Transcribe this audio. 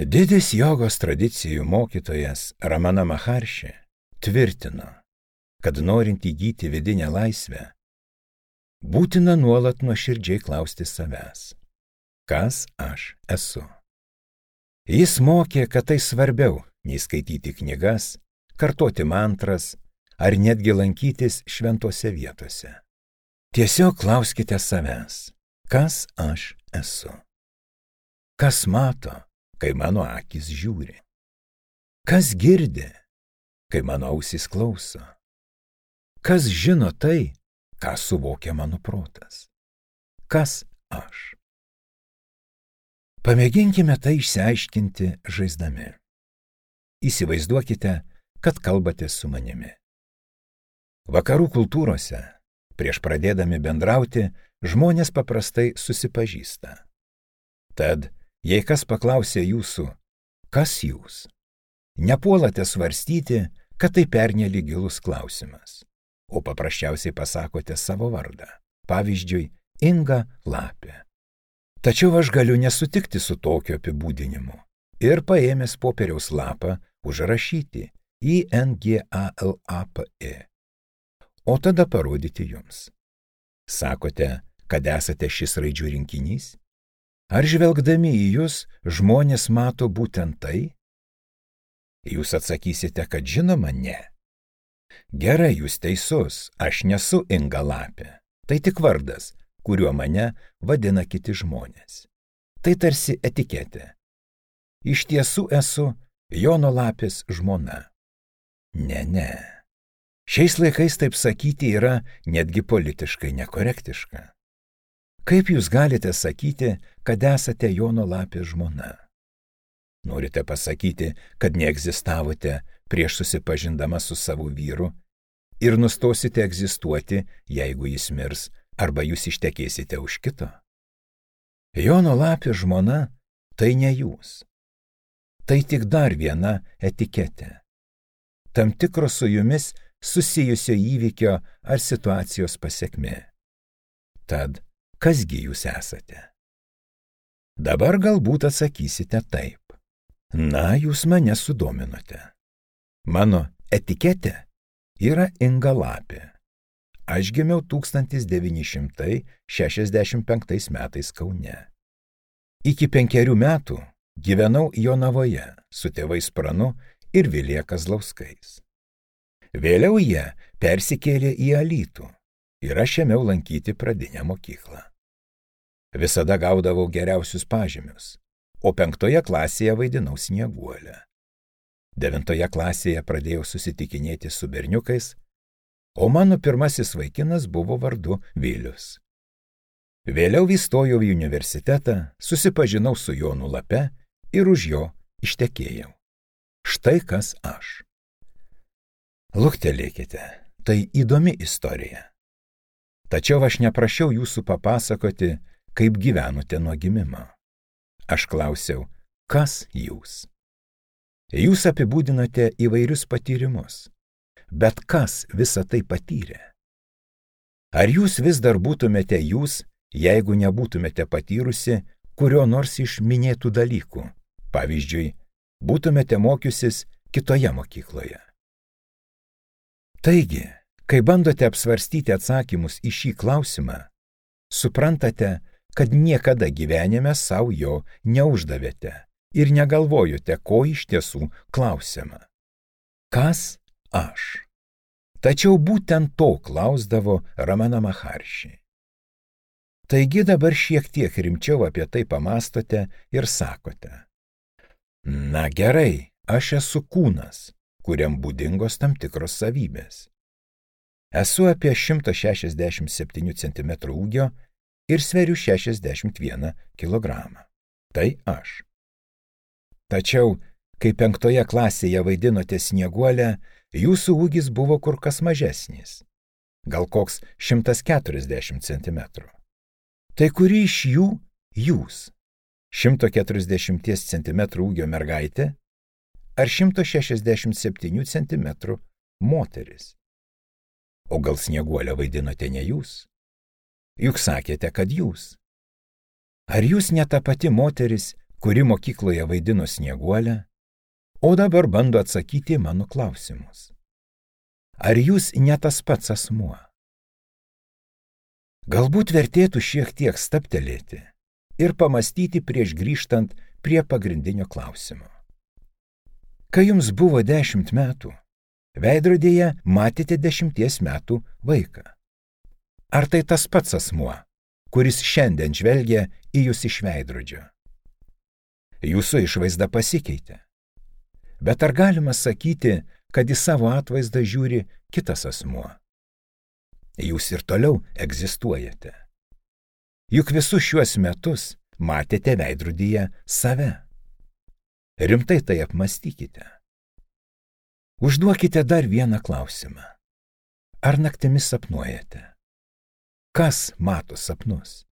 Didis jogos tradicijų mokytojas Ramana Maharshi tvirtino, kad norint įgyti vidinę laisvę, būtina nuolat nuoširdžiai klausti savęs, kas aš esu. Jis mokė, kad tai svarbiau nei skaityti knygas, kartoti mantras ar netgi lankytis šventose vietose. Tiesiog klauskite savęs, kas aš esu. Kas mato, kai mano akis žiūri? Kas girdi, kai mano ausys klauso? Kas žino tai, ką suvokia mano protas? Kas aš? Pamėginkime tai išsiaiškinti žaisdami. Įsivaizduokite, kad kalbate su manimi. Vakarų kultūrose, prieš pradėdami bendrauti, žmonės paprastai susipažįsta. Tad, jei kas paklausė jūsų, kas jūs, nepuolate svarstyti, kad tai pernelyg gilus klausimas, o paprasčiausiai pasakote savo vardą. Pavyzdžiui, Inga Lapė. Tačiau aš galiu nesutikti su tokiu apibūdinimu ir paėmęs popieriaus lapą užrašyti INGALAPE, o tada parodyti jums. Sakote, kad esate šis raidžių rinkinys? Ar žvelgdami į jūs žmonės mato būtent tai? Jūs atsakysite, kad žinoma ne. Gerai, jūs teisus, aš nesu Inga Lapė. Tai tik vardas, kuriuo mane vadina kiti žmonės. Tai tarsi etiketė. Iš tiesų esu Jono Lapės žmona. Ne. Šiais laikais taip sakyti yra netgi politiškai nekorektiška. Kaip jūs galite sakyti, kad esate Jono Lapės žmona? Norite pasakyti, kad neegzistavote prieš susipažindama su savo vyru ir nustosite egzistuoti, jeigu jis mirs arba jūs ištekėsite už kito? Jono Lapės žmona tai ne jūs. Tai tik dar viena etiketė. Tam tikro su jumis susijusio įvykio ar situacijos pasekmė. Tad, kasgi jūs esate? Dabar galbūt atsakysite taip. Na, jūs mane sudominote. Mano etiketė yra Inga Lapė. Aš gimiau 1965 metais Kaune. Iki 5 metų gyvenau Jonavoje su tėvais Pranu ir Vilija Kazlauskais. Vėliau jie persikėlė į Alytų ir aš ėmiau lankyti pradinę mokyklą. Visada gaudavau geriausius pažymius, o 5 klasėje vaidinau Snieguolę. 9 klasėje pradėjau susitikinėti su berniukais, o mano pirmasis vaikinas buvo vardu Vilius. Vėliau įstojau į universitetą, susipažinau su Jonu Lape ir už jo ištekėjau. Štai kas aš. Luktelėkite, tai įdomi istorija. Tačiau aš neprašiau jūsų papasakoti, kaip gyvenote nuo gimimo. Aš klausiau, kas jūs? Jūs apibūdinote įvairius patyrimus, bet kas visą tai patyrė? Ar jūs vis dar būtumėte jūs, jeigu nebūtumėte patyrusi kurio nors iš minėtų dalykų? Pavyzdžiui, būtumėte mokiusis kitoje mokykloje. Taigi, kai bandote apsvarstyti atsakymus į šį klausimą, suprantate, kad niekada gyvenime savo jo neuždavėte ir negalvojote, ko iš tiesų klausiama. Kas aš? Tačiau būtent to klausdavo Ramana Maharshi. Taigi dabar šiek tiek rimčiau apie tai pamastote ir sakote. Na gerai, aš esu kūnas, kuriam būdingos tam tikros savybės. Esu apie 167 cm ūgio ir sveriu 61 kg. Tai aš. Tačiau, kai 5 klasėje vaidinote Snieguolę, jūsų ūgis buvo kur kas mažesnis. Gal koks 140 cm. Tai kuri iš jų jūs? 140 cm ūgio mergaitė ar 167 cm moteris? O gal Snieguolę vaidinote ne jūs? Juk sakėte, kad jūs. Ar jūs ne ta pati moteris, kuri mokykloje vaidino Snieguolę, o dabar bando atsakyti į mano klausimus. Ar jūs ne tas pats asmuo? Galbūt vertėtų šiek tiek stabtelėti ir pamastyti prieš grįžtant prie pagrindinio klausimo. Kai jums buvo 10 metų, veidrodėje matėte 10 metų vaiką. Ar tai tas pats asmuo, kuris šiandien žvelgia į jūs iš veidrodžio? Jūsų išvaizda pasikeitė. Bet ar galima sakyti, kad į savo atvaizdą žiūri kitas asmuo? Jūs ir toliau egzistuojate. Juk visus šiuos metus matėte veidrodyje save. Rimtai tai apmastykite. Užduokite dar vieną klausimą. Ar naktimis sapnuojate? Kas mato sapnus?